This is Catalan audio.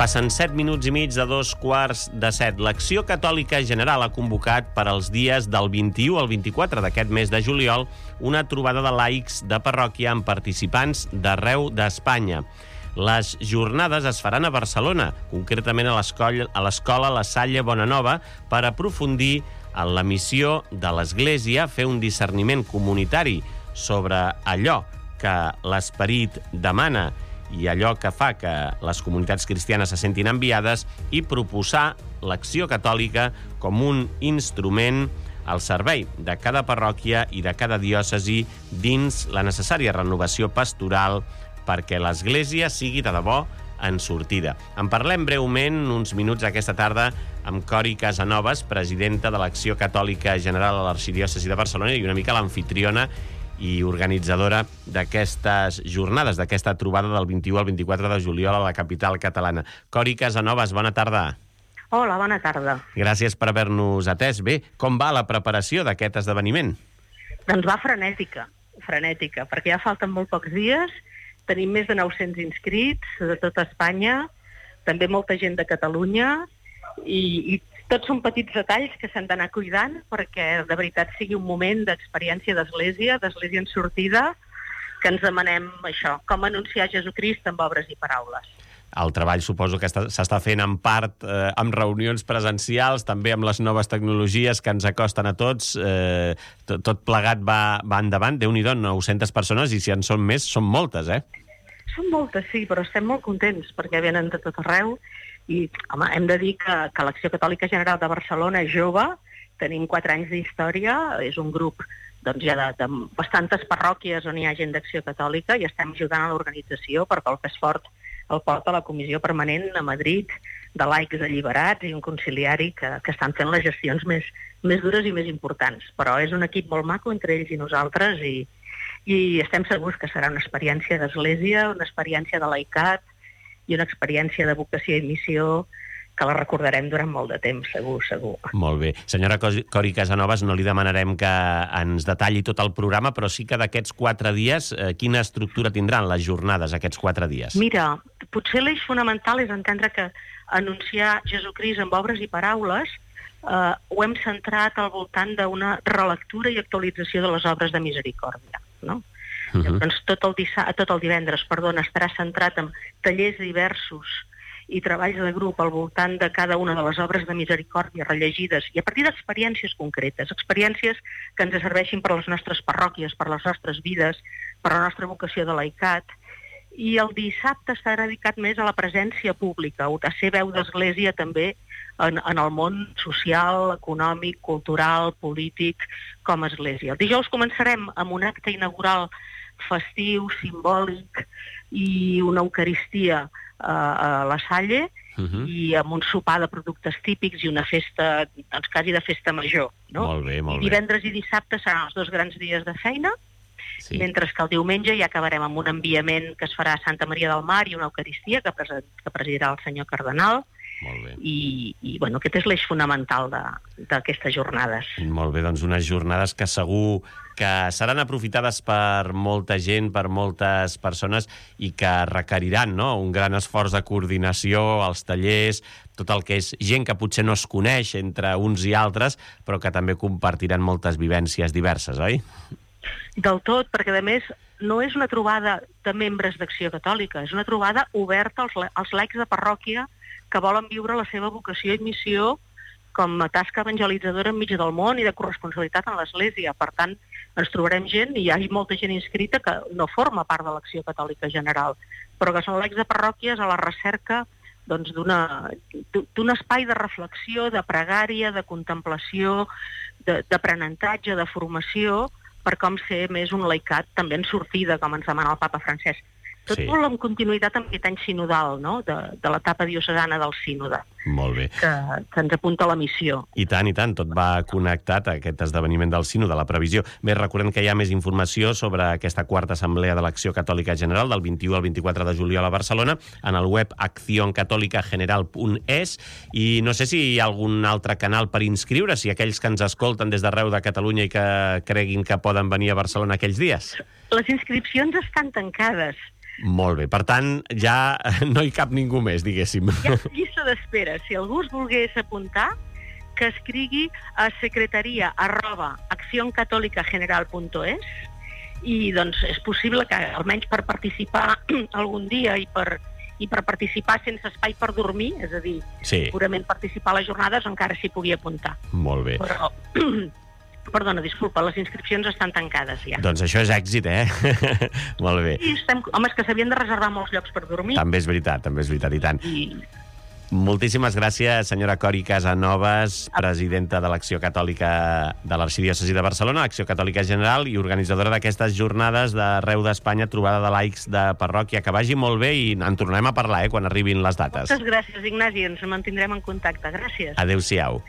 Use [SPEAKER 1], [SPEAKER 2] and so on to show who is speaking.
[SPEAKER 1] Passen 7 minuts i mig de 2:15. L'Acció Catòlica General ha convocat per als dies del 21 al 24 d'aquest mes de juliol una trobada de laics de parròquia amb participants d'arreu d'Espanya. Les jornades es faran a Barcelona, concretament a l'escola La Salle Bonanova, per aprofundir en la missió de l'Església, fer un discerniment comunitari sobre allò que l'esperit demana i allò que fa que les comunitats cristianes se sentin enviades i proposar l'acció catòlica com un instrument al servei de cada parròquia i de cada diòcesi dins la necessària renovació pastoral perquè l'Església sigui de debò en sortida. En parlem breument uns minuts aquesta tarda amb Cori Casanovas, presidenta de l'Acció Catòlica General a l'Arxidiòcesi de Barcelona i una mica l'anfitriona i organitzadora d'aquestes jornades, d'aquesta trobada del 21 al 24 de juliol a la capital catalana. Cori Casanovas, bona tarda.
[SPEAKER 2] Hola, bona tarda.
[SPEAKER 1] Gràcies per haver-nos atès. Bé, com va la preparació d'aquest esdeveniment?
[SPEAKER 2] Doncs va frenètica, perquè ja falten molt pocs dies, tenim més de 900 inscrits de tota Espanya, també molta gent de Catalunya, i tots són petits detalls que s'han d'anar cuidant perquè de veritat sigui un moment d'experiència d'Església en sortida, que ens demanem això, com anunciar Jesucrist amb obres i paraules.
[SPEAKER 1] El treball suposo que s'està fent en part amb reunions presencials, també amb les noves tecnologies que ens acosten a tots. Tot plegat va endavant. Déu-n'hi-do, 900 persones, i si en són més, són moltes, eh?
[SPEAKER 2] Són moltes, sí, però estem molt contents perquè venen de tot arreu. I, home, hem de dir que l'Acció Catòlica General de Barcelona és jove, tenim 4 anys d'història, és un grup doncs, ja de bastantes parròquies on hi ha gent d'Acció Catòlica i estem ajudant a l'organització perquè el pes fort el porta la Comissió Permanent a Madrid de laics alliberats i un conciliari que estan fent les gestions més dures i més importants. Però és un equip molt maco entre ells i nosaltres i estem segurs que serà una experiència d'Església, una experiència de laicat i una experiència de vocació i missió que la recordarem durant molt de temps, segur.
[SPEAKER 1] Molt bé. Senyora Cori Casanovas, no li demanarem que ens detalli tot el programa, però sí que d'aquests 4 dies, quina estructura tindran les jornades aquests 4 dies?
[SPEAKER 2] Mira, potser l'eix fonamental és entendre que anunciar Jesucrist amb obres i paraules ho hem centrat al voltant d'una relectura i actualització de les obres de misericòrdia, no? Doncs tot el divendres estarà centrat en tallers diversos i treballs de grup al voltant de cada una de les obres de misericòrdia rellegides i a partir d'experiències concretes, experiències que ens serveixin per a les nostres parròquies, per a les nostres vides, per a la nostra vocació de laicat. I el dissabte està dedicat més a la presència pública, a ser veu d'Església també en el món social, econòmic, cultural, polític, com a Església. El dijous començarem amb un acte inaugural festiu, simbòlic i una eucaristia a la Salle i amb un sopar de productes típics i una festa, doncs quasi de festa major, no?
[SPEAKER 1] Molt bé.
[SPEAKER 2] Divendres i dissabte seran els 2 grans dies de feina, sí. Mentre que el diumenge ja acabarem amb un enviament que es farà a Santa Maria del Mar i una eucaristia que presidirà el senyor cardenal.
[SPEAKER 1] Molt bé.
[SPEAKER 2] I bueno, aquest és l'eix fonamental d'aquestes jornades.
[SPEAKER 1] Molt bé, doncs unes jornades que segur que seran aprofitades per molta gent, per moltes persones i que requeriran, no?, un gran esforç de coordinació, els tallers, tot el que és gent que potser no es coneix entre uns i altres, però que també compartiran moltes vivències diverses, oi?
[SPEAKER 2] Del tot, perquè a més no és una trobada de membres d'Acció Catòlica, és una trobada oberta als laics de parròquia que volen viure la seva vocació i missió com a tasca evangelitzadora enmig del món i de corresponsabilitat en l'Església. Per tant, ens trobarem gent, i hi ha molta gent inscrita que no forma part de l'Acció Catòlica General, però que són laics de parròquies a la recerca doncs, d'un espai de reflexió, de pregària, de contemplació, d'aprenentatge, de formació, per com ser més un laicat també en sortida, com ens demana el papa Francesc. Tot molt en continuïtat amb aquest any sinodal, no?, de l'etapa diocesana del sínode.
[SPEAKER 1] Molt bé.
[SPEAKER 2] Que ens apunta a la missió.
[SPEAKER 1] I tant, tot va connectat a aquest esdeveniment del sínode, la previsió. Bé, recordem que hi ha més informació sobre aquesta 4ª assemblea de l'Acció Catòlica General del 21 al 24 de juliol a Barcelona en el web accioncatolicageneral.es i no sé si hi ha algun altre canal per inscriure, si aquells que ens escolten des d'arreu de Catalunya i que creguin que poden venir a Barcelona aquells dies.
[SPEAKER 2] Les inscripcions estan tancades.
[SPEAKER 1] Molt bé. Per tant, ja no hi cap ningú més, diguéssim.
[SPEAKER 2] Hi ha llista d'espera. Si algú es volgués apuntar, que escrigui a secretaria@accioncatolicageneral.es i doncs és possible que almenys per participar algun dia i per participar sense espai per dormir, és a dir, purament participar a les jornades, encara s'hi pugui apuntar.
[SPEAKER 1] Molt bé.
[SPEAKER 2] Però, perdona, disculpa, les inscripcions estan tancades ja.
[SPEAKER 1] Doncs això és èxit, Molt bé.
[SPEAKER 2] Sí, home, és que s'havien de reservar molts llocs per dormir.
[SPEAKER 1] També és veritat, i tant. Moltíssimes gràcies, senyora Cori Casanovas, presidenta de l'Acció Catòlica de l'Arxidiòcesi de Barcelona, Acció Catòlica General, i organitzadora d'aquestes jornades d'arreu d'Espanya, trobada de laics de parròquia. Que vagi molt bé i en tornem a parlar, quan arribin les dates.
[SPEAKER 2] Moltes gràcies, Ignasi, ens mantindrem en contacte. Gràcies.
[SPEAKER 1] Adéu-siau.